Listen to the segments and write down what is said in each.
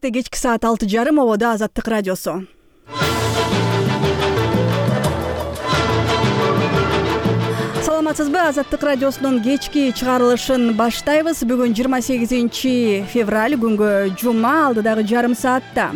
Бишкекте кечки саат 6:30 ободо Азаттык радиосу. Саламатсызбы? Азаттык радиосунун кечки чыгарылышын баштайбыз. Бүгүн 28 февраль, күнгө жума, алдыдагы жарым саатта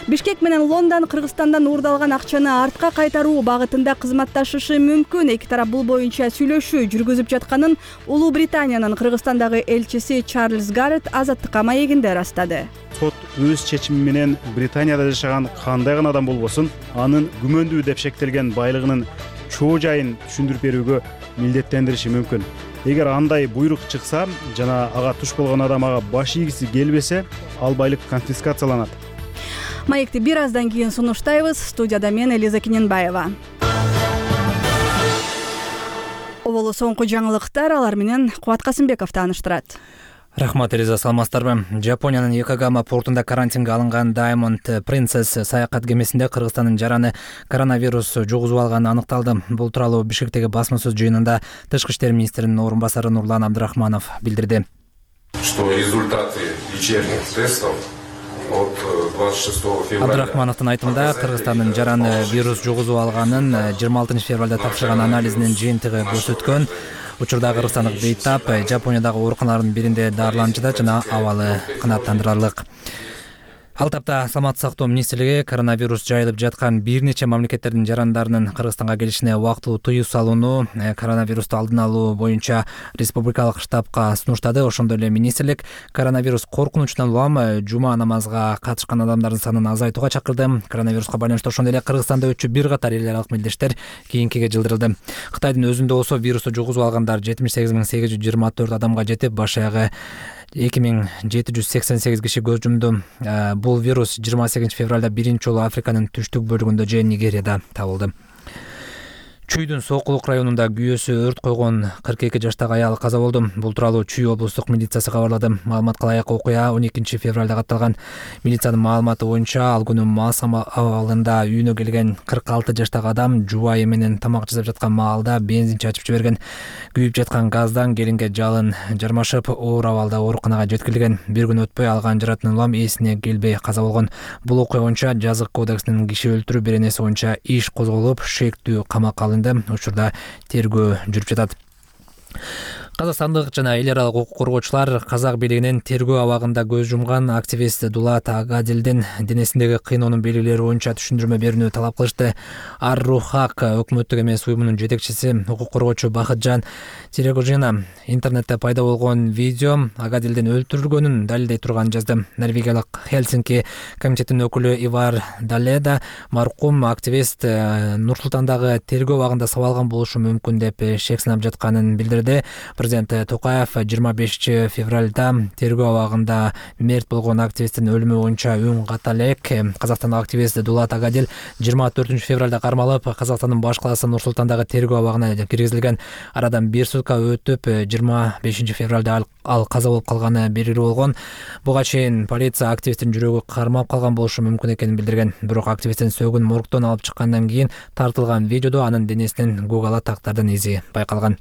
Бишкек менен Лондон Кыргызстандан уурдалган акчаны артка кайтаруу багытында кызматташышы мүмкүн. Эки тарап бул боюнча сүйлөшүү жүргүзүп жатканын Улуу Британиянын Кыргызстандагы элчиси Чарльз Гаррет Азаттыкка маегинде ырастады. Сот өз чечими менен Британияда жашаган кандай гана адам болбосун, анын күмөндүү деп шектелген байлыгынын чоо жайын түшүндүрүп берүүгө милдеттендириши мүмкүн. Эгер андай буйрук чыкса жана ага туш болгон адам ага баш ийгиси келбесе, ал байлык конфискацияланат. Маекти бир аздан кийин сунуштайбыз. Студияда мен Элиза Киненбаева. Оболу соңку жаңылыктар, алар менен Кубат Касымбеков тааныштырат. Рахмат, Элиза, саламатсыздарбы? Жапониянын Йокогама портунда карантинге алынган Diamond Princess саякат кемесинде Кыргызстандын жараны коронавирус жугузуп алганы аныкталды. Бул тууралуу Бишкектеги басма сөз жыйынында Тышкы иштер министринин орун басары Нурлан Абдрахманов билдирди. Что результаты вечерних тестов от 26 февраля. Абдрахмановдун айтымында Кыргызстандын жараны вирус жугузуп алганын 26 февралда тапшырган анализинин жыйынтыгы көрсөткөн. Учурда кыргызстандык бейтап Жапониядагы ооруканалардын биринде дарыланууда жана абалы канааттандырарлык. Ал тапта Саламаттык сактоо министрлиги коронавирус жайылып жаткан бир нече мамлекеттердин жарандарынын Кыргызстанга келишине убактылуу тыюу салууну коронавирусту алдын алуу боюнча республикалык штабка сунуштады. Ошондой эле министрлик коронавирус коркунучунан улам жума намазга катышкан адамдардын санын азайтууга чакырды. Коронавируска байланыштуу ошондой эле Кыргызстанда өтчү бир катар эл аралык мелдештер кийинкиге жылдырылды. Кытайдын өзүндө болсо вирусту жугузуп алгандар 78.824 адамга жетип, баш аягы 2788 киши көз жумду. Бул вирус 28 февралда биринчи жолу Африканын түштүк бөлүгүндө же Нигерияда табылды. Чүйдүн Сокулук районунда күйөөсү өрт койгон 42 жаштагы аял каза болду. Бул тууралуу Чүй облустук милициясы кабарлады. Маалыматка ылайык окуя 12 февралда катталган. Милициянын маалыматы боюнча ал күнү мас абалында үйүнө келген 46 жаштагы адам жубайы менен тамак жасап жаткан маалда бензин чачып жиберген. Күйүп жаткан газдан келинге жалын жармашып, оор абалда ооруканага жеткирилген. Бир күн өтпөй алган жаратынан улам эсине келбей каза болгон. Бул окуя боюнча жазык кодексинин киши өлтүрүү беренеси боюнча иш козголуп, шектүү камакка алынды. Учурда тергөө жүрүп жатат. Казакстандык жана эл аралык укук коргоочулар казак бийлигинин тергөө абагында көз жумган активист Дулат Агадилдин денесиндеги кыйноонун белгилери боюнча түшүндүрмө берүүнү талап кылышты. Ар-Рухак өкмөттүк эмес уюмунун жетекчиси укук коргоочу Бахытжан Терегожина интернетте пайда болгон видео Агадилдин өлтүрүлгөнүн далилдей турганын жазды. Норвегиялык Хелсинки комитетинин өкүлү Ивар Даледа маркум активист Нур-Султандагы тергөө абагында сабалган болушу мүмкүн деп шек сынап жатканын билдирди. Президент Токаев 25 февралда тергөө абагында мерт болгон активисттин өлүмү боюнча үн ката элек. Казакстандык активист Дулат Агадил 24 февралда кармалып, Казакстандын баш калаасы Нур-Султандагы тергөө абагына киргизилген. Арадан бир сутка өтүп, 25 февралда ал каза болуп калганы белгилүү болгон. Буга чейин полиция активисттин жүрөгү кармап калган болушу мүмкүн экенин билдирген. Бирок активисттин сөөгүн моргтон алып чыккандан кийин тартылган видеодо анын денесинен Google тактардын изи байкалган.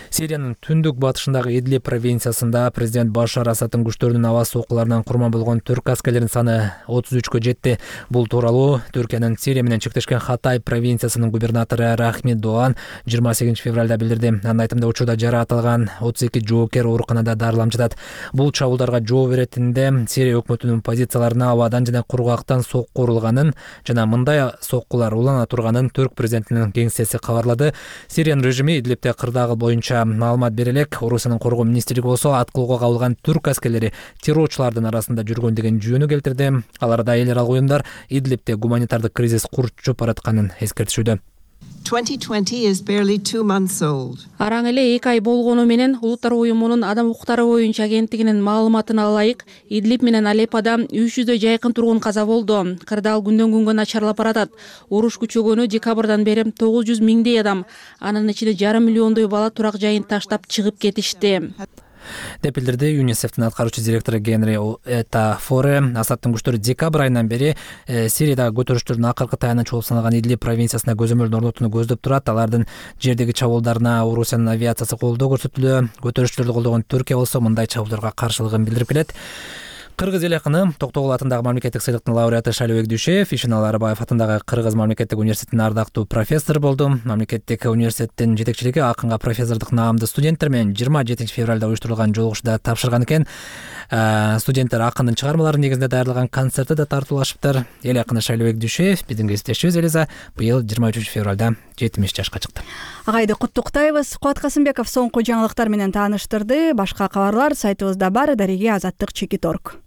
Сириянын түндүк батышындагы Идлиб провинциясында президент Башар Асадтын күчтөрүнүн аба соккуларынан курман болгон түрк аскерлеринин саны 33кө жетти. Бул тууралуу Түркиянын Сирия менен чектешкен Хатай провинциясынын губернатору Рахмит Доан 28 февралда билдирди. Анын айтымында учурда жаратылган 32 жоокер ооруканада дарыланып жатат. Бул чабуулдарга жооп беретинде Сирия өкмөтүнүн позицияларына абадан жана кургактан сокку урулганын жана мындай соккулар улана турганын түрк президентинин кеңсеси кабарлады. Сириянын режими Идлибте кырдаал боюнча маалымат бере элек. Орусиянын коргоо министрлиги болсо ат кылууга кабылган түрк аскерлери террорчулардын арасында жүргөн деген жүйөнү келтирди. Аларда эл аралык уюмдар Идлибте гуманитардык кризис курчуп баратканын эскертишүүдө. 2020 is barely 2 months old. Араң эле 2 ай болгону менен Улуттар уюмунун адам укуктары боюнча агенттигинин маалыматына ылайык, Идлиб менен Алеппода 300дөй жайкын тургун каза болду. Кырдаал күндөн күнгө начарлап баратат. Уруш күчөгөнү декабрдан бери 900 миңдей адам, анын ичинде 5,5 миллиондой бала турак жайын таштап чыгып кетишти. деп билдирди ЮНИСЕФтин аткаруучу директору Генри Форе. Асадтын күчтөрү декабрь айынан бери Сириядагы көтөрүштөрдүн акыркы таянычы болуп саналган Идлиб провинциясына көзөмөлдү орнотууну көздөп турат. Алардын жердеги чабуулдарына Орусиянын авиациясы колдоо көрсөтүлдү. Көтөрүштөрдү колдогон Түркия болсо мындай чабуулдарга каршылыгын билдирип келет. Кыргыз эл акыны Токтогул атындагы мамлекеттик сыйлыктын лауреаты Шалибек Дүйшеев Ишеналы Арбаев атындагы Кыргыз мамлекеттик университетинин ардактуу профессору болду. Мамлекеттик университеттин жетекчилиги акынга профессордук наамды студенттер менен 27 февралда уюштурулган жолугушууда тапшырган экен. Студенттер акындын чыгармалары негизинде даярдалган концертте да тартуулашыптыр. Эл акыны Шалибек Дүйшеев биздин кесиптешибиз Элиза быйыл 23 февралда 70 жашка чыкты. Агайды куттуктайбыз. Кубат Касымбеков соңку жаңылыктар менен тааныштырды. Башка кабарлар сайтыбызда бар. Дареге Азаттык Чекиторг.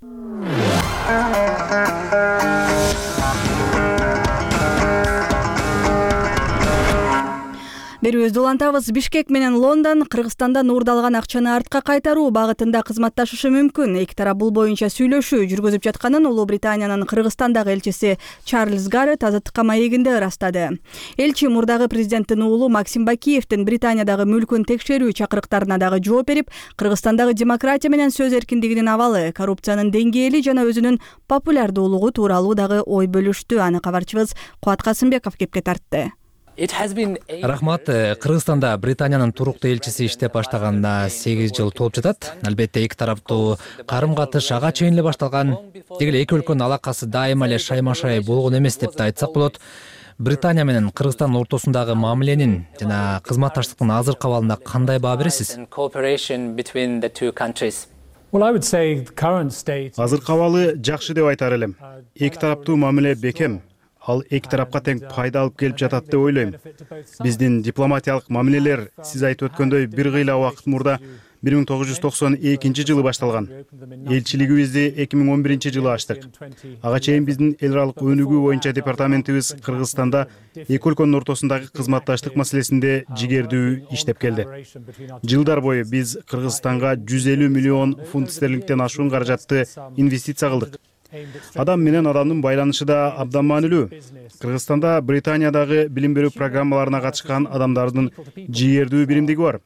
Берүүбүздү улантабыз. Бишкек менен Лондон Кыргызстандан уурдалган акчаны артка кайтаруу багытында кызматташышы мүмкүн. Эки тарап бул боюнча сүйлөшүү жүргүзүп жатканын Улуу Британиянын Кыргызстандагы элчиси Чарльз Гаррет Азаттыкка маегинде ырастады. Элчи мурдагы президенттин уулу Максим Бакиевдин Британиядагы мүлкүн текшерүү чакырыктарына дагы жооп берип, Кыргызстандагы демократия менен сөз эркиндигинин абалы, коррупциянын деңгээли жана өзүнүн популярдуулугу тууралуу дагы ой бөлүштү. Аны кабарчыбыз Кубат Касымбеков кепке тартты. Рахмат. Кыргызстанда Британиянын туруктуу элчиси иштеп баштаганына 8 жыл толуп жатат. Албетте эки тараптуу карым-катыш ага чейин эле башталган. Деги эле эки өлкөнүн алакасы дайыма эле шайма-шай болгон эмес деп да айтсак болот. Британия менен Кыргызстан ортосундагы мамиленин жана кызматташтыктын азыркы абалына кандай баа бересиз? Азыркы абалы жакшы деп айтар элем. Эки тараптуу мамиле бекем. Ал эки тарапка тең пайда алып келип жатат деп ойлойм. Биздин дипломатиялык мамилелер сиз айтып өткөндөй бир кыйла убакыт мурда 1992 жылы башталган. Элчилигибизди 2011 жылы ачтык. Ага чейин биздин эл аралык өнүгүү боюнча департаментибиз Кыргызстанда эки өлкөнүн ортосундагы кызматташтык маселесинде жигердүү иштеп келди. Жылдар бою биз Кыргызстанга 150 миллион фунт стерлингден ашуун каражатты инвестиция кылдык. Адам менен адамдын байланышы да абдан маанилүү. Кыргызстанда Британиядагы билим берүү программаларына катышкан адамдардын жигердүү биримдиги бар.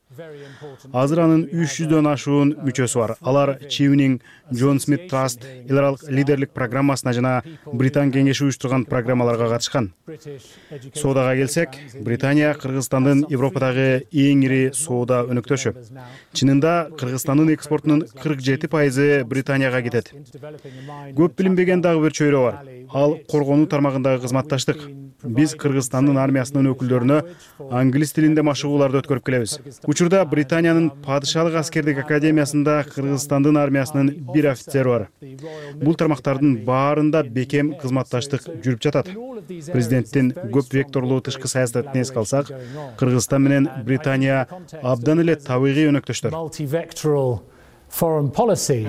Азыр анын 300дөн ашуун мүчөсү бар. Алар Чивнинг, Джон Смит Траст, эл аралык лидерлик программасына жана Британ кеңеши уюштурган программаларга катышкан. Соодага келсек, Британия Кыргызстандын Европадагы эң ири соода өнөктөшү. Чынында Кыргызстандын экспортунун 47% Британияга кетет. Көп билинбеген дагы бир чөйрө бар. Ал коргонуу тармагындагы кызматташтык. Биз Кыргызстандын армиясынын өкүлдөрүнө англис тилинде машыгууларды өткөрүп келебиз. Учурда Британиянын падышалык аскердик академиясында Кыргызстандын армиясынын бир офицери бар. Бул тармактардын баарында бекем кызматташтык жүрүп жатат. Президенттин көп векторлуу тышкы саясатын эске алсак, Кыргызстан менен Британия абдан эле табигый өнөктөштөр. Foreign policy,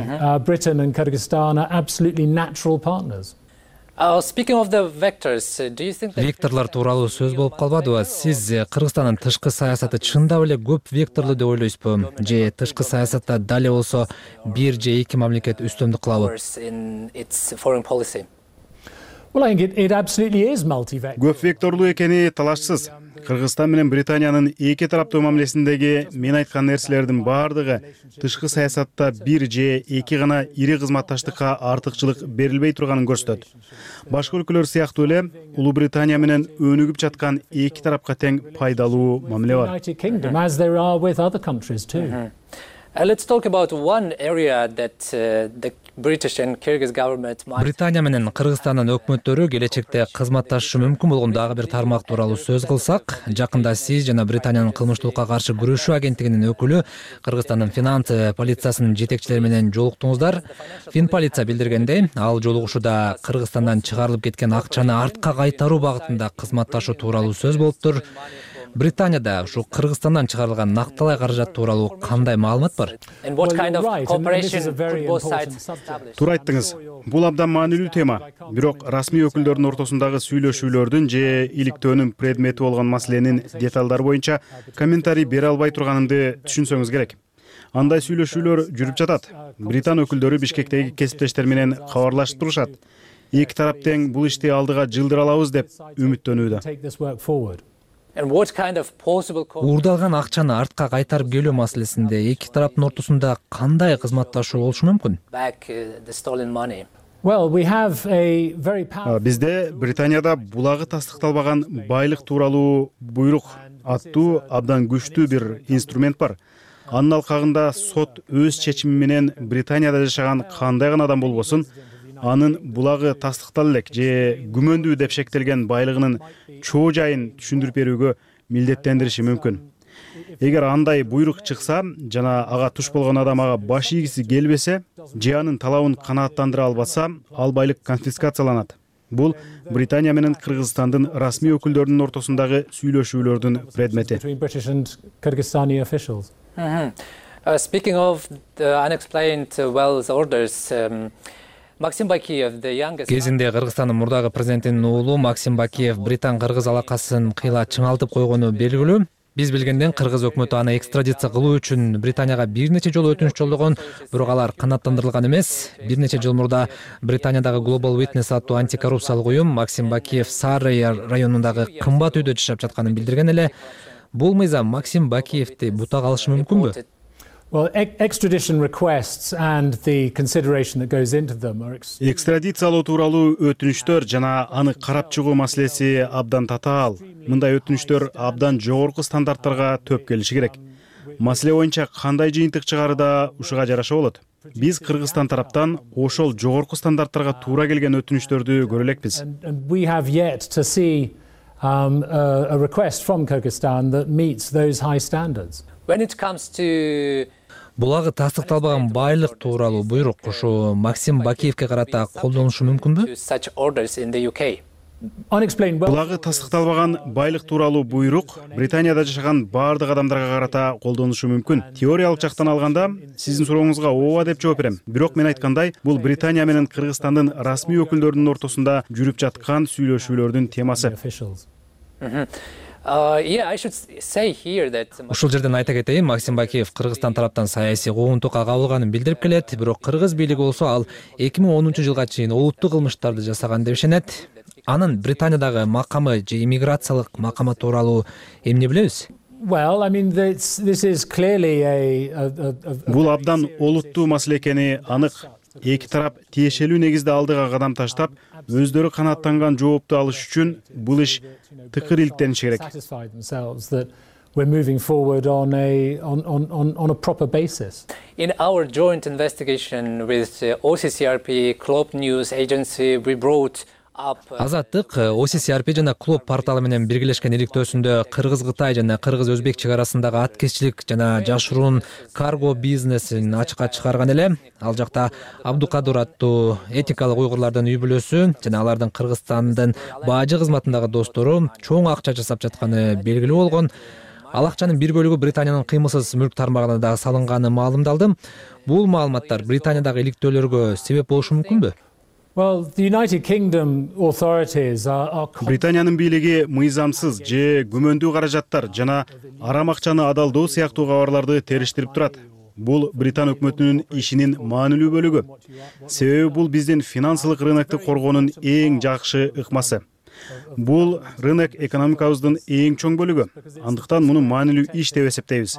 Britain and Kyrgyzstan are absolutely natural partners. Speaking of the vectors, do you think that Векторлор тууралуу сөз болуп калбадыбы? Сиз Кыргызстандын тышкы саясаты чындап эле көп векторлуу деп ойлойсузбу? Же тышкы саясатта дале болсо бир же эки мамлекет үстөмдүк кылабы? in its foreign policy? Well, I think it absolutely is multi-vector. Көп векторлуу экени талашсыз. Кыргызстан менен Британиянын эки тараптуу мамилесиндеги мен айткан нерселердин баардыгы тышкы саясатта бир же эки гана ири кызматташтыкка артыкчылык берилбей турганын көрсөтөт. Башка өлкөлөр сыяктуу эле Улуу Британия менен өнүгүп жаткан эки тарапка тең пайдалуу мамиле бар. United Kingdom, as there are with other countries too. Let's talk about one area that the British and Kyrgyz government might. Британия менен Кыргызстандын өкмөттөрү келечекте кызматташышы мүмкүн болгон дагы бир тармак тууралуу сөз кылсак, жакында сиз жана Британиянын кылмыштуулукка каршы күрөшүү агенттигинин өкүлү Кыргызстандын финансы полициясынын жетекчилери менен жолуктуңуздар. Финполиция билдиргендей, ал жолугушууда Кыргызстандан чыгарылып кеткен акчаны артка кайтаруу багытында кызматташуу тууралуу сөз болуптур. Британияда ушу Кыргызстандан чыгарылган накталай каражат тууралуу кандай маалымат бар? And what kind of Well, you're right, and cooperation this is a very could both important sides subject. establish? Туура айттыңыз. Бул абдан маанилүү тема. Бирок расмий өкүлдөрдүн ортосундагы сүйлөшүүлөрдүн же иликтөөнүн предмети болгон маселенин деталдары боюнча комментарий бере албай турганымды түшүнсөңүз керек. Андай сүйлөшүүлөр жүрүп жатат. Британ өкүлдөрү Бишкектеги кесиптештер менен кабарлашып турушат. Эки тарап тең бул ишти алдыга жылдыра алабыз деп үмүттөнүүдө. Take this work forward. And what kind of possible Уурдалган акчаны артка кайтарып келүү маселесинде эки тараптын ортосунда кандай кызматташуу болушу мүмкүн? back the stolen money? Well, we have a very powerful Бизде Британияда булагы тастыкталбаган байлык тууралуу буйрук аттуу абдан күчтүү бир инструмент бар. Анын алкагында сот өз чечими менен Британияда жашаган кандай гана адам болбосун, анын булагы тастыктала элек же күмөндүү деп шектелген байлыгынын чоо жайын түшүндүрүп берүүгө милдеттендириши мүмкүн. Эгер андай буйрук чыкса жана ага туш болгон адам ага баш ийгиси келбесе же анын талабын канааттандыра албаса, ал байлык конфискацияланат. Бул Британия менен Кыргызстандын расмий өкүлдөрүнүн ортосундагы сүйлөшүүлөрдүн предмети. Speaking of the unexplained wealth orders, Максим Бакиев, the youngest... Кезинде Кыргызстандын мурдагы президентинин уулу Максим Бакиев Британ-Кыргыз алакасын кыйла чыңалтып койгону белгилүү. Биз билгенден Кыргыз өкмөтү аны экстрадиция кылуу үчүн Британияга бир нече жолу өтүнүч жолдогон, бирок алар канааттандырылган эмес. Бир нече жыл мурда Британиядагы Global Witness аттуу антикоррупциялык уюм Максим Бакиев Саррей районундагы кымбат үйдө жашап жатканын билдирген эле. Бул мыйзам Максим Бакиевди бута калышы мүмкүнбү? Well, extradition requests and the consideration that goes into them are... Экстрадициялоо тууралуу өтүнүчтөр жана аны карап чыгуу маселеси абдан татаал. Мындай өтүнүчтөр абдан жогорку стандарттарга төп келиши керек. Маселе боюнча кандай жыйынтык чыгарыда ушуга жараша болот. Биз Кыргызстан тараптан ошол жогорку стандарттарга туура келген өтүнүчтөрдү көрө элекпиз. We have yet to see a request from Kyrgyzstan that meets those high standards. When it comes to Булагы тастыкталбаган байлык тууралуу буйрук ушу Максим Бакиевке карата колдонулушу мүмкүнбү? such orders in the UK, Булагы тастыкталбаган байлык тууралуу буйрук Британияда жашаган баардык адамдарга карата колдонулушу мүмкүн. Теориялык жактан алганда, сиздин сурооңузга ооба деп жооп берем. Бирок мен айткандай, бул Британия менен Кыргызстандын расмий өкүлдөрүнүн ортосунда жүрүп жаткан сүйлөшүүлөрдүн темасы. Yeah, I should say here that Ушул жерден айта кетейин, Максим Бакиев Кыргызстан тараптан саясий куугунтукка кабылганын билдирип келет, бирок кыргыз бийлиги болсо ал 2010-жылга чейин олуттуу кылмыштарды жасаган деп ишенет. Анын Британиядагы макамы же иммиграциялык макамы тууралуу эмне билебиз? Well, I mean, this is clearly Бул абдан олуттуу маселе экени анык. Эки тарап тиешелүү негизде алдыга кадам таштап, өздөрү канааттанган жоопту алыш үчүн бул иш тыкыр иликтениши керек. satisfy themselves that we're moving forward on a proper basis. in our joint investigation with OCCRP, Club News Agency, we brought up Азаттык OCCRP жана Клуб порталы менен биргелешкен иликтөөсүндө Кыргыз-Кытай жана Кыргыз-Өзбек чек арасындагы аткезчилик жана жашыруун карго бизнесин ачыкка чыгарган эле. Ал жакта Абдукадыр аттуу этикалык уйгурлардын үй бүлөсү жана алардын Кыргызстандын бажы кызматындагы достору чоң акча жасап жатканы белгилүү болгон. Ал акчанын бир бөлүгү Британиянын кыймылсыз мүлк тармагына да салынганы маалымдалды. Бул маалыматтар Британиядагы иликтөөлөргө себеп болушу мүмкүнбү? Well, the United Kingdom authorities are Британиянын бийлиги мыйзамсыз же күмөндүү каражаттар жана арам акчаны адалдоо сыяктуу кабарларды териштирип турат. Бул Британ өкмөтүнүн ишинин маанилүү бөлүгү. Себеби бул биздин финансылык рынокты коргоонун эң жакшы ыкмасы. Бул рынок экономикабыздын эң чоң бөлүгү. Андыктан муну маанилүү иш деп эсептейбиз.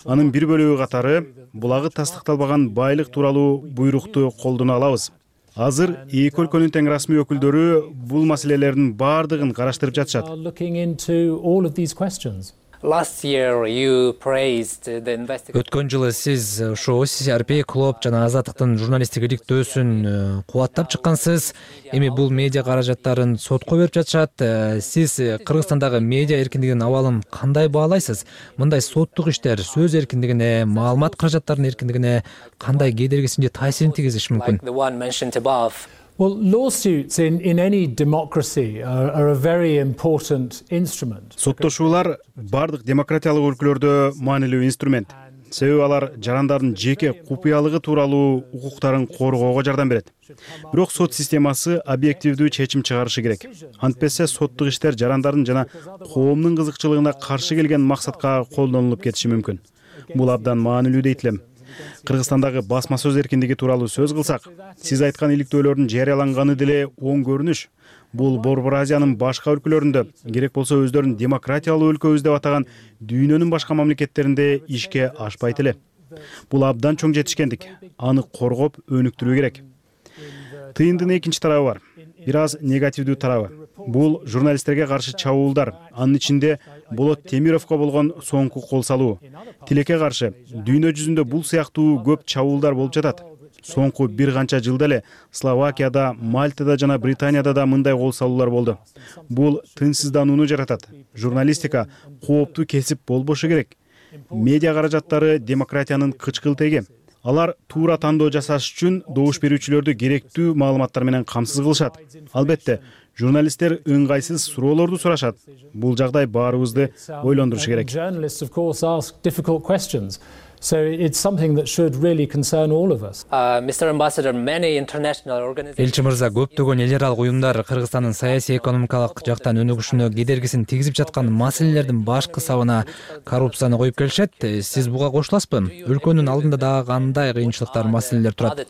Анын бир бөлүгү катары булагы тастыкталбаган байлык тууралуу буйрукту колдоно алабыз. Азыр эки өлкөнүн тең расмий өкүлдөрү бул маселелердин баардыгын караштырып жатышат. looking into all of these questions. last year you praised the investigation. Өткөн жылы сиз ошо OCCRP, Клуб жана Азаттыктын журналисттик иликтөөсүн кубаттап чыккансыз. Эми бул медиа каражаттарын сотко берип жатышат. Сиз Кыргызстандагы медиа эркиндигинин абалын кандай баалайсыз? Мындай соттук иштер сөз эркиндигине, маалымат каражаттарынын эркиндигине кандай кедергисин же таасирин тийгизиши мүмкүн? Like the one mentioned above. Well, lawsuits in any democracy are a very important instrument. Соттошуулар бардык демократиялык өлкөлөрдө маанилүү инструмент. Себеби алар жарандардын жеке купуялыгы тууралуу укуктарын коргоого жардам берет. Бирок сот системасы объективдүү чечим чыгарышы керек. Антпесе соттук иштер жарандардын жана коомдун кызыкчылыгына каршы келген максатка колдонулуп кетиши мүмкүн. Бул абдан маанилүү дейт элем. Кыргызстандагы басма сөз эркиндиги тууралуу сөз кылсак, сиз айткан иликтөөлөрдүн жарыяланганы деле оң көрүнүш. Бул Борбор Азиянын башка өлкөлөрүндө, керек болсо өздөрүн демократиялуу өлкөбүз деп атаган дүйнөнүн башка мамлекеттеринде ишке ашпайт эле. Бул абдан чоң жетишкендик. Аны коргоп, өнүктүрүү керек. Тыйындын экинчи тарабы бар. Бир аз негативдүү тарабы. Бул журналисттерге каршы чабуулдар, анын ичинде Болот Темировго болгон соңку кол салуу. Тилекке каршы дүйнө жүзүндө бул сыяктуу көп чабуулдар болуп жатат. Соңку бир канча жылда эле Словакияда, Мальтада жана Британияда да мындай кол салуулар болду. Бул тынчсызданууну жаратат. Журналистика кооптуу кесип болбошу керек. Медиа каражаттары демократиянын кычкылтеги. Алар туура тандоо жасаш үчүн добуш берүүчүлөрдү керектүү маалыматтар менен камсыз кылышат. Албетте, журналисттер ыңгайсыз суроолорду сурашат. Бул жагдай баарыбызды ойлондурушу керек. Journalists, of course, ask difficult questions. So it's something that should really concern all of us. Mr. Ambassador, many international organizations. Элчи мырза, көптөгөн эл аралык уюмдар Кыргызстандын саясий экономикалык жактан өнүгүшүнө кедергисин тийгизип жаткан маселелердин баш кысабына коррупцияны коюп келишет. Сиз буга кошуласызбы? Өлкөнүн алдында дагы кандай кыйынчылыктар, маселелер турат?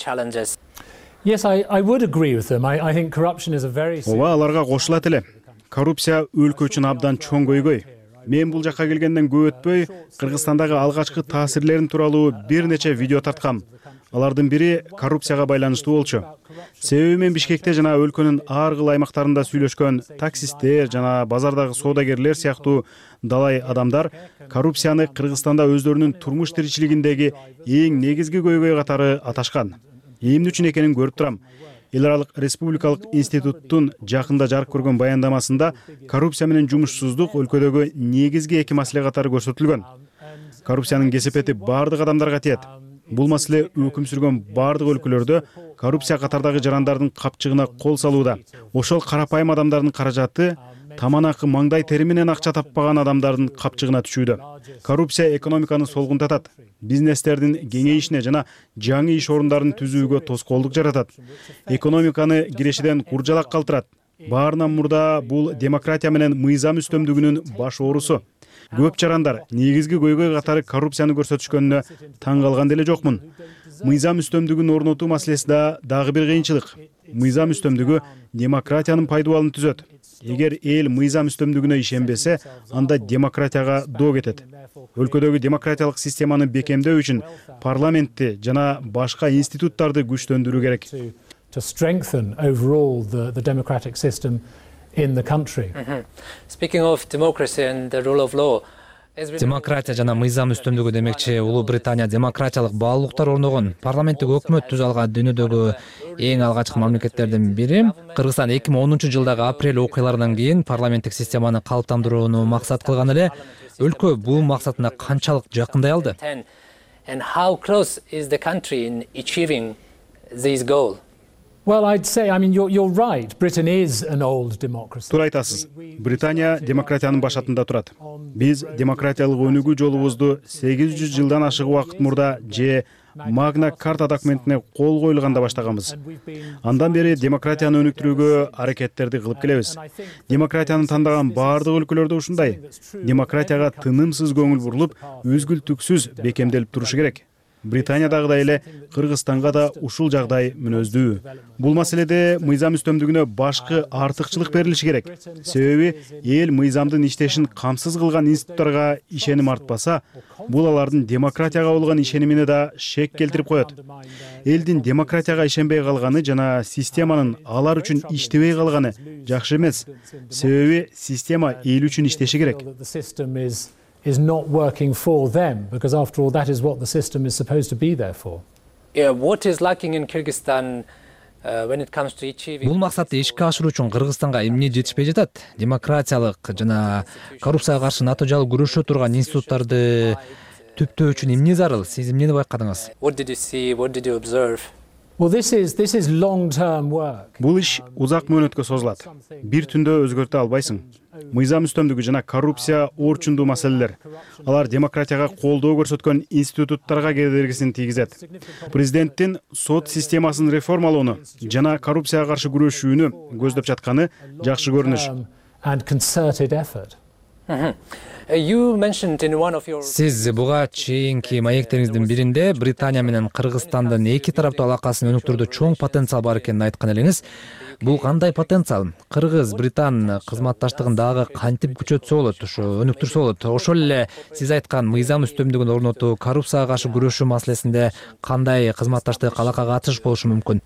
Yes, I would agree with them. I think corruption is a very Ооба, аларга кошулат эле. Коррупция өлкө үчүн абдан чоң көйгөй. Мен бул жакка келгенден көп өтпөй Кыргызстандагы алгачкы таасирлерин тууралуу бир нече видео тарткам. Алардын бири коррупцияга байланыштуу болчу. Себеби мен Бишкекте жана өлкөнүн ар кыл аймактарында сүйлөшкөн таксисттер жана базардагы соодагерлер сыяктуу далай адамдар коррупцияны Кыргызстанда өздөрүнүн турмуш тиричилигиндеги эң негизги көйгөй катары аташкан. Эмне үчүн экенин көрүп турам. Эл аралык республикалык институттун жакында жарык көргөн баяндамасында коррупция менен жумушсуздук өлкөдөгү негизги эки маселе катары көрсөтүлгөн. Коррупциянын кесепети бардык адамдарга тиет. Бул маселе өкүм сүргөн бардык өлкөлөрдө коррупция катардагы жарандардын капчыгына кол салууда. Ошол карапайым адамдардын каражаты таманакы маңдай тери менен акча таппаган адамдардын капчыгына түшүүдө. Коррупция экономиканы солгунтатат, бизнестердин кеңейишине жана жаңы иш орундарын түзүүгө тоскоолдук жаратат. Экономиканы кирешеден куржалак калтырат. Баарынан мурда бул демократия менен мыйзам үстөмдүгүнүн баш оорусу. Көп жарандар негизги көйгөй катары коррупцияны көрсөтүшкөнүнө таң калган деле жокмун. Мыйзам үстөмдүгүн орнотуу маселеси да дагы бир кыйынчылык. Мыйзам үстөмдүгү демократиянын пайдубалын түзөт. Эгер эл мыйзам үстөмдүгүнө ишенбесе, анда демократияга доо кетет. Өлкөдөгү демократиялык системаны бекемдөө үчүн парламентти жана башка институттарды күчтөндүрүү керек. To strengthen overall the democratic system in the country. Speaking of democracy and the rule of law, Демократия жана мыйзам үстөмдүгү демекчи Улуу Британия демократиялык баалуулуктар орногон парламенттик өкмөт түзө алган дүйнөдөгү эң алгачкы мамлекеттердин бири. Кыргызстан 2010-жылдагы апрель окуяларынан кийин парламенттик системаны калыптандырууну максат кылган эле. Өлкө бул максатына канчалык жакындай алды? And how close is the country in achieving this goal? Well, I'd say, you're right. Britain is an old democracy. Туура айтасыз. Британия демократиянын башатында турат. Биз демократиялык өнүгүү жолубузду 800 жылдан ашык убакыт мурда же Магна Карта документине кол коюлганда баштаганбыз. Андан бери демократияны өнүктүрүүгө аракеттерди кылып келебиз. Демократияны тандаган бардык өлкөлөрдө ушундай. Демократияга тынымсыз көңүл бурулуп, үзгүлтүксүз бекемделип турушу керек. Британиядагыдай эле Кыргызстанга да ушул жагдай мүнөздүү. Бул маселеде мыйзам үстөмдүгүнө башкы артыкчылык берилиши керек. Себеби эл мыйзамдын иштешин камсыз кылган институттарга ишеним артпаса, бул алардын демократияга болгон ишенимине да шек келтирип коет. Элдин демократияга ишенбей калганы жана системанын алар үчүн иштебей калганы жакшы эмес. Себеби система эл үчүн иштеши керек. Is not working for them, because after all that is what the system is supposed to be there for. Yeah, what is lacking in Kyrgyzstan when it comes to achieving? Бул максатты ишке ашыруу үчүн Кыргызстанга эмне жетишпей жатат? Демократиялык жана коррупцияга каршы натыйжалуу күрөшө турган институттарды түптөө үчүн эмне зарыл? Сиз эмнени байкадыңыз? What did you see? What did you observe? Well, this is long-term work. Бул иш узак мөөнөткө созулат. Бир түндө өзгөртө албайсың. Мыйзам үстөмдүгү жана коррупция орчундуу маселелер. Алар демократияга колдоо көрсөткөн институттарга кедергисин тийгизет. Президенттин сот системасын реформалоону жана коррупцияга каршы күрөшүүнү көздөп жатканы жакшы көрүнүш. And concerted effort. You mentioned in one of your Сиз буга чейинки маектериңиздин биринде Британия менен Кыргызстандын эки тараптуу алакасын өнүктүрүүдө чоң потенциал бар экенин айткан элеңиз. Бул кандай потенциал? Кыргыз-Британ кызматташтыгын дагы кантип күчөтсө болот, ошо өнүктүрсө болот? Ошол эле сиз айткан мыйзам үстөмдүгүн орнотуу, коррупцияга каршы күрөшүү маселесинде кандай кызматташтык алакага атыш болушу мүмкүн?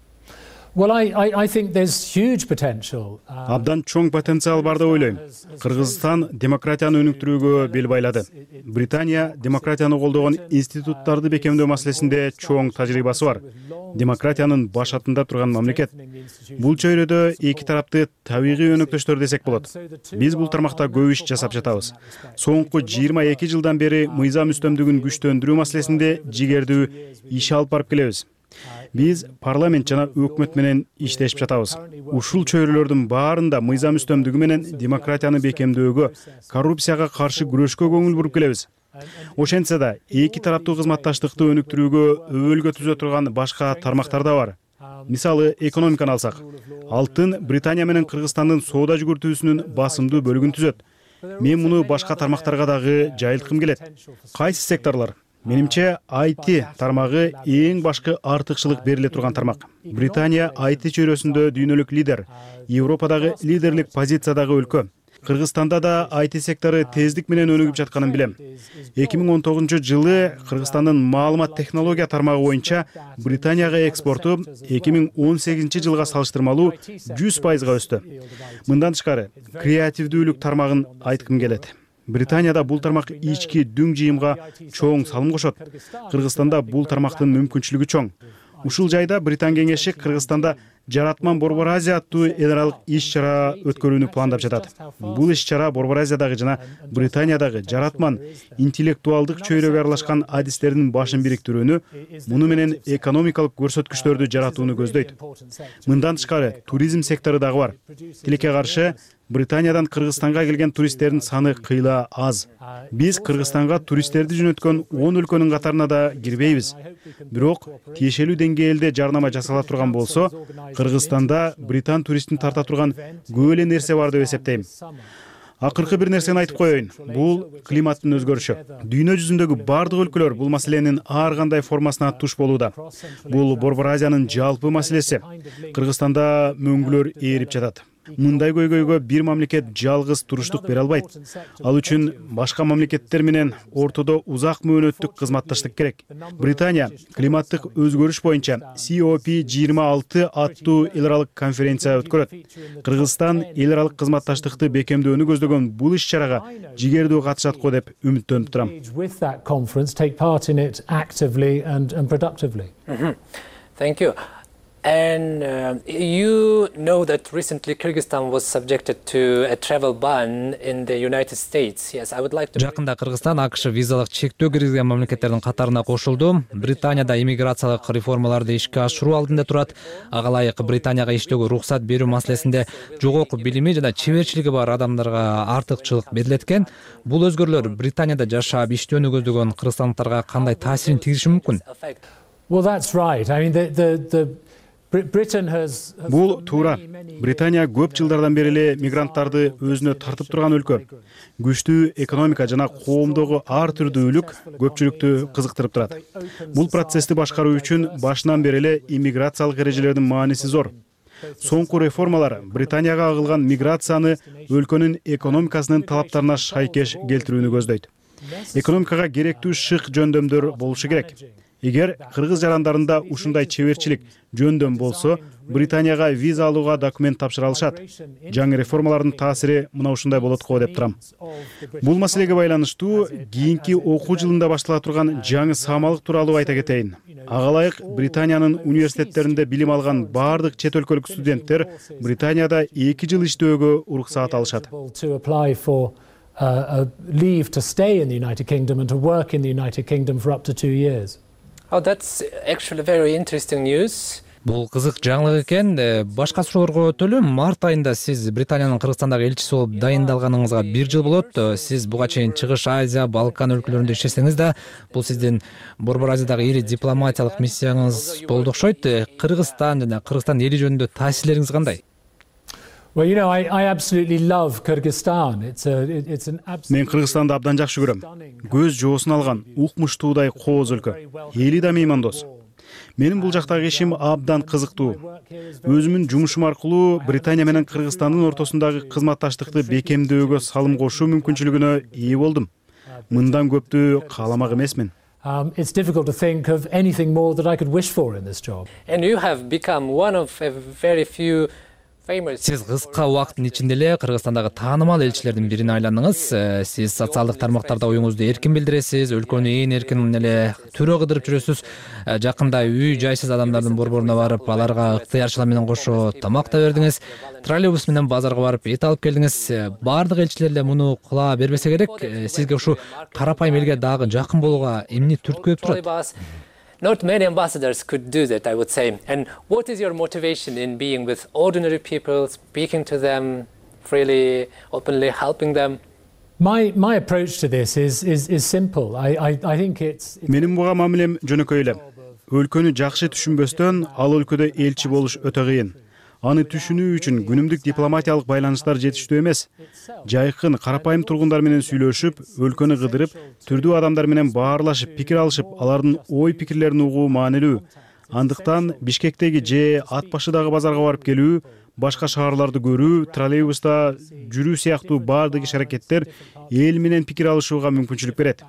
Well, I think there's huge potential. Абдан чоң потенциал бар деп ойлойм. Кыргызстан демократияны өнүктүрүүгө бел байлады. Британия демократияны колдогон институттарды бекемдөө маселесинде чоң тажрыйбасы бар. Демократиянын баш атында турган мамлекет. Бул чөйрөдө эки тарапты табигый өнөктөштөр десек болот. Биз бул тармакта көп иш жасап жатабыз. Соңку 22 жылдан бери мыйзам үстөмдүгүн күчтөндүрүү маселесинде жигердүү иш алып барып келебиз. Биз парламент жана өкмөт менен иштешип жатабыз. Ушул чөйрөлөрдүн баарында мыйзам үстөмдүгү менен демократияны бекемдөөгө, коррупцияга каршы күрөшкө көңүл буруп келебиз. Ошентсе да эки тараптуу кызматташтыкты өнүктүрүүгө өбөлгө түзө турган башка тармактар да бар. Мисалы, экономиканы алсак, алтын Британия менен Кыргызстандын соода жүгүртүүсүнүн басымдуу бөлүгүн түзөт. Мен муну башка тармактарга дагы жайылткым келет. Кайсы секторлор? Менимче, IT тармагы эң башкы артыкчылык бериле турган тармак. Британия IT чөйрөсүндө дүйнөлүк лидер, Европадагы лидерлик позициядагы өлкө. Кыргызстанда да IT сектору тездик менен өнүгүп жатканын билем. 2019-жылы Кыргызстандын маалымат технология тармагы боюнча Британияга экспорту 2018-жылга салыштырмалуу 100%га өстү. Мындан тышкары, креативдүүлүк тармагын айткым келет. Британияда бул тармак ички дүң жыйымга чоң салым кошот. Кыргызстанда бул тармактын мүмкүнчүлүгү чоң. Ушул жайда Британ кеңеши Кыргызстанда Жаратман Борбор Азия аттуу эл аралык иш-чара өткөрүүнү пландап жатат. Бул иш-чара Борбор Азиядагы жана Британиядагы жаратман интеллектуалдык чөйрөгө аралашкан адистердин башын бириктирүүнү, муну менен экономикалык көрсөткүчтөрдү жаратууну көздөйт. Мындан тышкары туризм сектору дагы бар. Тилекке каршы, Британиядан Кыргызстанга келген туристтердин саны кыйла аз. Биз Кыргызстанга туристтерди жөнөткөн 10 өлкөнүн катарына да кирбейбиз. Бирок тиешелүү деңгээлде жарнама жасала турган болсо, Кыргызстанда британ туристин тарта турган көп эле нерсе бар деп эсептейм. Акыркы бир нерсени айтып коеюн. Бул климаттын өзгөрүшү. Дүйнө жүзүндөгү бардык өлкөлөр бул маселенин ар кандай формасына туш болууда. Бул Борбор Азиянын жалпы маселеси. Кыргызстанда мөңгүлөр ээрип жатат. Мындай көйгөйгө бир мамлекет жалгыз туруштук бере албайт. Ал үчүн башка мамлекеттер менен ортодо узак мөөнөттүк кызматташтык керек. Британия климаттык өзгөрүш боюнча COP26 аттуу эл аралык конференция өткөрөт. Кыргызстан эл аралык кызматташтыкты бекемдөөнү көздөгөн бул иш-чарага жигердүү катышат го деп үмүттөнүп турам. Thank you. And you know that recently Kyrgyzstan was subjected to a travel ban in the United States. Yes, I would like to... Жакында Кыргызстан АКШ визалык чектөө киргизген мамлекеттердин катарына кошулду. Британияда иммиграциялык реформаларды ишке ашыруу алдында турат. Ага ылайык Британияга иштөөгө уруксат берүү маселесинде жогорку билими жана чеберчилиги бар адамдарга артыкчылык берилет экен. Бул өзгөрүүлөр Британияда жашап иштөөнү көздөгөн кыргызстандыктарга кандай таасирин тийгизиши мүмкүн? Well, that's right. I mean, Бул туура. Британия көп жылдардан бери эле мигранттарды өзүнө тартып турган өлкө. Күчтүү экономика жана коомдогу ар түрдүүлүк көпчүлүктү кызыктырып турат. Бул процессти башкаруу үчүн башынан бери эле иммиграциялык эрежелердин мааниси зор. Соңку реформалар Британияга агылган миграцияны өлкөнүн экономикасынын талаптарына шайкеш келтирүүнү көздөйт. Экономикага керектүү шык жөндөмдөр болушу керек. Эгер кыргыз жарандарында ушундай чеберчилик жөндөм болсо, Британияга виза алууга документ тапшыра алышат. Жаңы реформалардын таасири мына ушундай болот го деп турам. Бул маселеге байланыштуу кийинки окуу жылында баштала турган жаңы саамалык тууралуу айта кетейин. Ага ылайык Британиянын университеттеринде билим алган бардык чет өлкөлүк студенттер Британияда 2 жыл иштөөгө уруксаат алышат. Leave to stay in the United Kingdom and to work in the United Kingdom for up to 2 years. Oh, that's actually very interesting news. Бул кызык жаңылык экен. Башка суроолорго өтөлү. Март айында сиз Британиянын Кыргызстандагы элчиси болуп дайындалганыңызга 1 жыл болот. Сиз буга чейин Чыгыш Азия, Балкан өлкөлөрүндө иштесеңиз да, бул сиздин Борбор Азиядагы ири дипломатиялык миссияңыз болду окшойт. Кыргызстан жана Кыргызстан эли жөнүндө таасирлериңиз кандай? Well, you know, I absolutely love Kyrgyzstan. It's an absolute... Мен Кыргызстанды абдан жакшы көрөм. Көз жоосун алган, укмуштуудай кооз өлкө. Эли да меймандос. Менин бул жактагы ишим абдан кызыктуу. Өзүмүн жумушум аркылуу Британия менен Кыргызстандын ортосундагы кызматташтыкты бекемдөөгө салым кошуу мүмкүнчүлүгүнө ээ болдум. Мындан көптү кааламак эмесмин. It's difficult to think of anything more that I could wish for in this job. And you have become one of a very few famous. Сиз кыска убакыттын ичинде эле Кыргызстандагы таанымал элчилердин бирине айландыңыз. Сиз социалдык тармактарда оюңузду эркин билдиресиз, өлкөнү ээн эркин эле төрө кыдырып жүрөсүз. Жакында үй жайсыз адамдардын борборуна барып, аларга ыктыярчылар менен кошо тамак да бердиңиз. Троллейбус менен базарга барып эт алып келдиңиз. Баардык элчилер эле муну кыла бербесе керек. Сизге ушу карапайым элге дагы жакын болууга эмне түрткүлөп турат? Not many ambassadors could do that, I would say. And what is your motivation in being with ordinary people, speaking to them freely, openly, helping them? My approach to this is simple. I think it's Менин буга мамилем жөнөкөй эле. Өлкөнү жакшы түшүнбөстөн ал өлкөдө элчи болуш өтө кыйын. Аны түшүнүү үчүн күнүмдүк дипломатиялык байланыштар жетиштүү эмес. Жайкын, карапайым тургундар менен сүйлөшүп, өлкөнү кыдырып, түрдүү адамдар менен баарлашып, пикир алышып, алардын ой пикирлерин угуу маанилүү. Андыктан Бишкектеги же ат башыдагы базарга барып келүү, башка шаарларды көрүү, троллейбуста жүрүү сыяктуу баардык иш-аракеттер эл менен пикир алышууга мүмкүнчүлүк берет.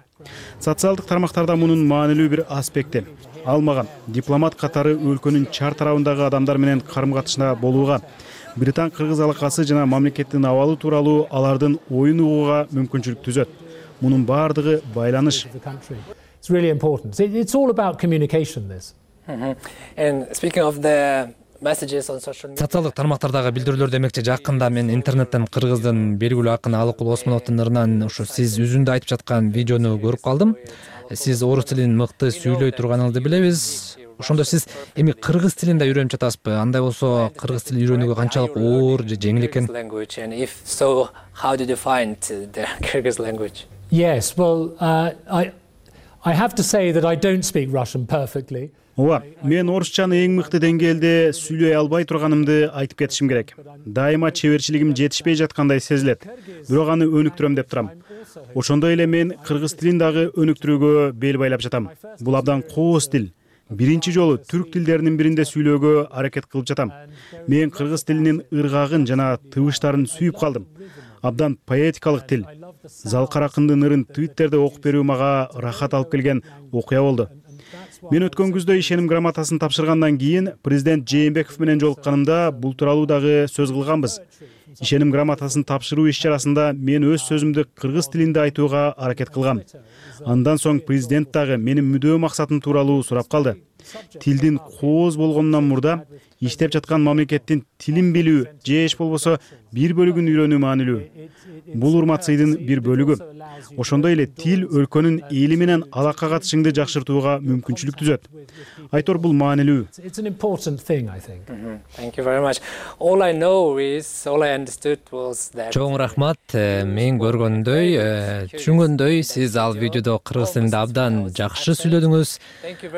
Социалдык тармактарда мунун маанилүү бир аспекти. Ал мага дипломат катары өлкөнүн чар тарабындагы адамдар менен карым-катышында болууга, Британ-Кыргыз алакасы жана мамлекеттин абалы тууралуу алардын оюн угууга мүмкүнчүлүк түзөт. Мунун баардыгы байланыш. It's really important. It's all about communication, this. And speaking of the messages on social media. Социалдык тармактардагы билдирүүлөр демекчи жакында мен интернеттен кыргыздын белгилүү акыны Алыкул Осмоновдун ырынан ушу сиз үзүндө айтып жаткан видеону көрүп калдым. Сиз орус тилин мыкты сүйлөй турганыңызды билебиз. Ошондо сиз эми кыргыз тилин да үйрөнүп жатасызбы? Андай болсо кыргыз тилин үйрөнүүгө канчалык оор же жеңил экен? And if so, how did you find the Kyrgyz language? Yes, well, I have to say that I don't speak Russian perfectly. Ооба, мен орусчаны эң мыкты деңгээлде сүйлөй албай турганымды айтып кетишим керек. Дайыма чеберчилигим жетишпей жаткандай сезилет. Бирок аны өнүктүрөм деп турам. Ошондой эле мен кыргыз тилин дагы өнүктүрүүгө бел байлап жатам. Бул абдан кооз тил. Биринчи жолу түрк тилдеринин биринде сүйлөөгө аракет кылып жатам. Мен кыргыз тилинин ыргагын жана тыбыштарын сүйүп калдым. Абдан поэтикалык тил. Залкар акындын ырын Twitterде окуп берүү мага рахат алып келген окуя болду. Мен өткөн күздө ишеним грамотасын тапшыргандан кийин президент Жээнбеков менен жолукканымда бул тууралуу дагы сөз кылганбыз. Ишеним грамотасын тапшыруу иш-чарасында мен өз сөзүмдү кыргыз тилинде айтууга аракет кылгам. Андан соң президент дагы менин мүдөө максатым тууралуу сурап калды. Тилдин кооз болгонунан мурда иштеп жаткан мамлекеттин тилин билүү же эч болбосо бир бөлүгүн үйрөнүү маанилүү. Бул урмат-сыйдын бир бөлүгү. Ошондой эле тил өлкөнүн эли менен алака катышыңды жакшыртууга мүмкүнчүлүк түзөт. Айтор бул маанилүү. It's an important thing, I think. Thank you very much. All I understood was that. Чоң рахмат. Мен көргөндөй, түшүнгөндөй, сиз ал видеодо кыргыз тилинде абдан жакшы сүйлөдүңүз.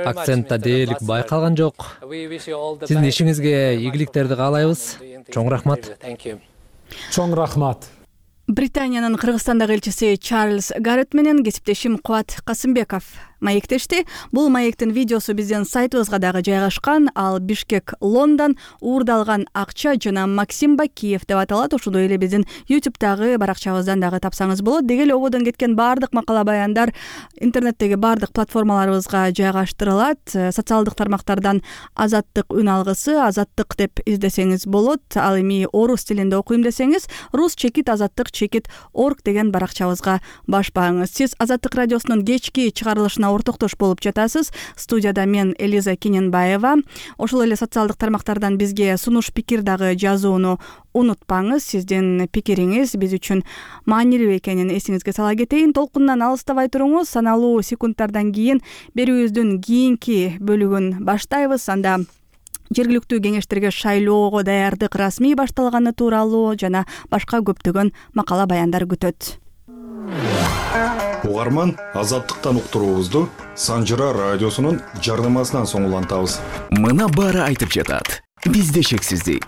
Акцентта дээрлик байкалган жок. Сиздин ишиңизге ийгиликтерди каалайбыз. Чоң рахмат. Чоң рахмат. Британиянын Кыргызстандагы элчиси Чарльз Гаррет менен кесиптешим Кубат Касымбеков маектешти. Бул маектин видеосу биздин сайтыбызга дагы жайгашкан. Ал Бишкек Лондон уурдалган акча жана Максим Бакиев деп аталат. Ошондой эле биздин YouTube'дагы баракчабыздан дагы тапсаңыз болот. Деги эле ободон кеткен баардык макала баяндар интернеттеги баардык платформаларыбызга жайгаштырылат. Социалдык тармактардан Азаттык үн алгысы, Азаттык деп издесеңиз болот. Ал эми орус тилинде окуйм десеңиз, rus-azattik.org деген баракчабызга баш бааңыз. Сиз Азаттык радиосунун кечки чыгарылышына ортоктош болуп жатасыз. Студияда мен Элиза Кененбаева. Ошол эле социалдык тармактардан бизге сунуш пикир дагы жазууну унутпаңыз. Сиздин пикириңиз биз үчүн маанилүү экенин эсиңизге сала кетейин. Толкундан алыстабай туруңуз. Саналуу секундтардан кийин берүүбүздүн кийинки бөлүгүн баштайбыз. Анда жергиликтүү кеңештерге шайлоого даярдык расмий башталганы тууралуу жана башка көптөгөн макала баяндар күтөт. Угарман, Азаттыктан уктуруубузду Санжыра радиосунун жардамасынан соң улантабыз. Мына баары айтып жатат. Бизде шексиздик.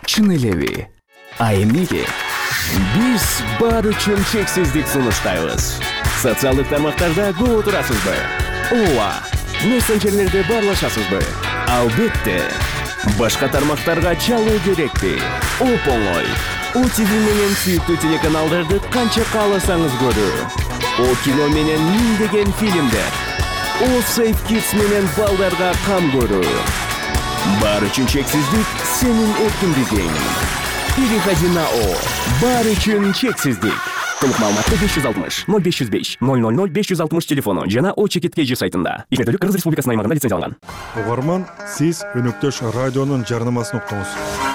Чын элеби? А эмнеге? Биз баары үчүн шексиздик сунуштайбыз. Социалдык тармактарда көп отурасызбы? Ооба. Мессенджерлерде баарлашасызбы? Албетте. Башка тармактарга чалуу керекпи? Оп-оңой. ОТВ менен сүйүктүү телеканалдарды канча кааласаңыз көрүү. О кино менен миңдеген фильмдер. О Safe Kids менен балдарга кам көрүү. Баары үчүн чексиздик сенин эркиндигиң. Переходи на О. Баары үчүн чексиздик. Толук маалыматты 560 0505 000 560 телефону жана О Чекиткеji сайтында. Ишмердүүлүк Кыргыз Республикасынын аймагында лицензияланган. Угарман, сиз өнөктөш радионун жарнамасын уктуңуз.